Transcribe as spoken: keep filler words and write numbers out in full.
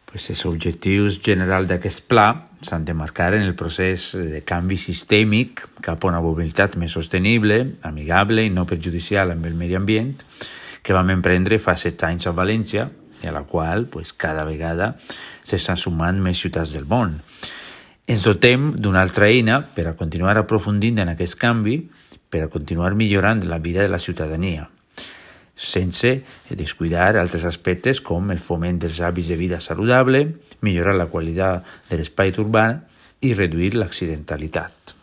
Pues els objectius generals d'aquest pla s'han de marcar en el procés de canvi sistèmic cap a una mobilitat més sostenible, amigable i no perjudicial amb el medi ambient que vam emprendre fa set anys a València i a la qual pues, cada vegada s'estan sumant més ciutats del món. Ens dotem d'una altra eina per a continuar aprofundint en aquest canvi, per a continuar millorant la vida de la ciutadania, sense descuidar altres aspectes com el foment dels hàbits de vida saludable, millorar la qualitat de l'espai urbà i reduir l'accidentalitat.